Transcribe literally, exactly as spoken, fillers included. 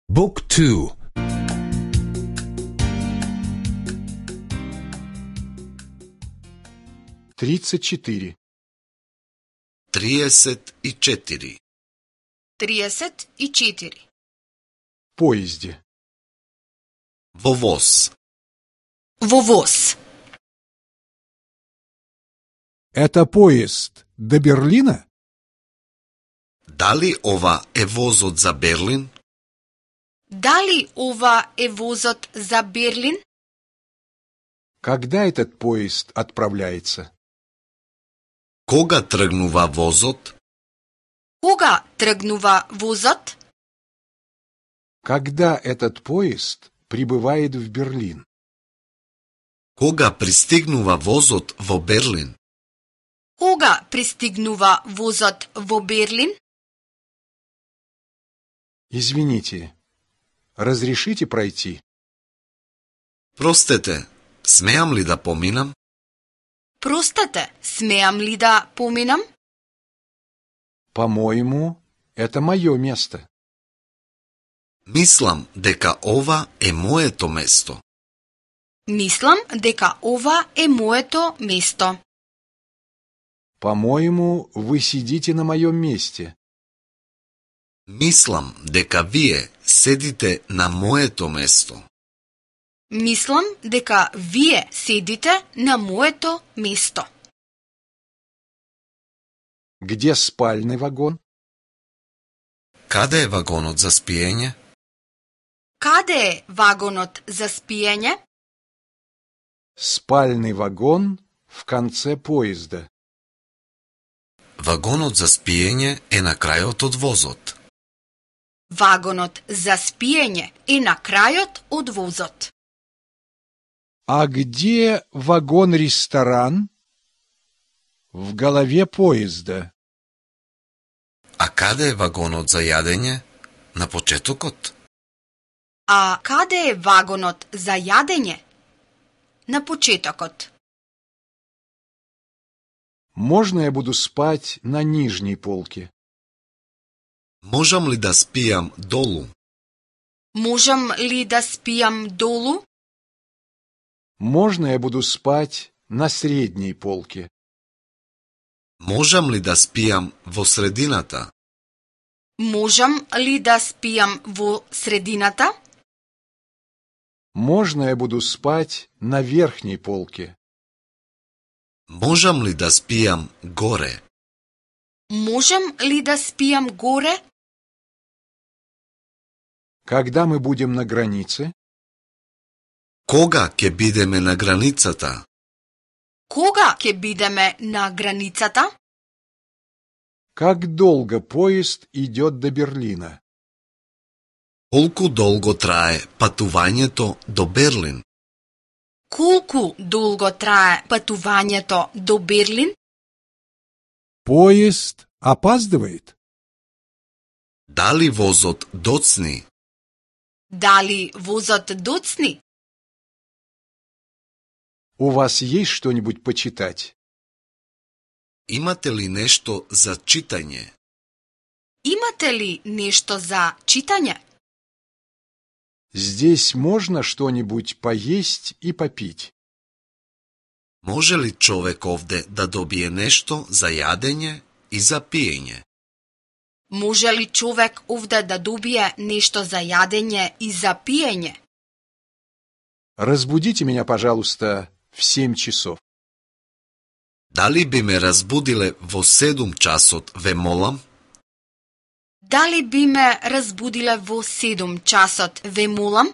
Book two. Тридцать четыре. Триесет и четири. Триесет и четири. В поезде. Во воз. Во воз. Это поезд до Берлина? Дали ова е возот за Берлин? Дали ова е возот за Берлин? Когда этот поезд отправляется? Кога тргнува возот? Кога тргнува возот? Когда этот поезд прибывает в Берлин? Кога пристигнува возот во Берлин? Кога пристигнува возот во Берлин? Извините, разрешите пройти? Простете, смеам ли да поминам? Простете, смеам ли да поминам? По-моему, это мое место. Мислам дека ова е моето место. Мислам дека ова е моето место. По-моему, вы сидите на моем месте. Мислам дека вие седите на моето место. Мислам дека вие седите на моето место. Где спальный вагон? Каде е вагонот за спиење? Каде е вагонот за спиење? Спальный вагон в конце поезда. Вагонот за спиење е на крајот од возот. Вагонот за спиење е на крајот од возот. А где вагон-ресторан? В голове поезда. А каде е вагонот за јадење? На почетокот? А каде е вагонот за јадење? На почетокот. Можно я буду спать на нижней полке? Можам ли да спијам долу? Можам ли да спијам долу? Можно я буду спать на средней полке? Можам ли да спијам во средината? Можам ли да спијам во средината? Можно я буду спать на верхней полке? Можам ли да спијам горе? Можам ли да спијам горе? Когда мы будем на границе? Кога ќе бидеме на границата? Кога ќе бидеме на границата? Как долго поезд идет до Берлина? Колку долго трае патувањето до Берлин? Колку долго трае патувањето до Берлин? Поезд опаздывает? Дали возот доцни? Дали возот доцни? У вас есть что-нибудь почитать? Имате ли нешто за читање? Имате ли нешто за читање? Здесь можно что-нибудь поесть и попить? Може ли човек овде да добие нешто за јадење и за пиење? Може ли човек овде да добие нешто за јадење и за пиење? Разбудите меня, пожалуйста, в семь часов. Дали би ме разбудиле во седум часот, ве молам? Дали би ме разбудиле во седум часот, ве молам?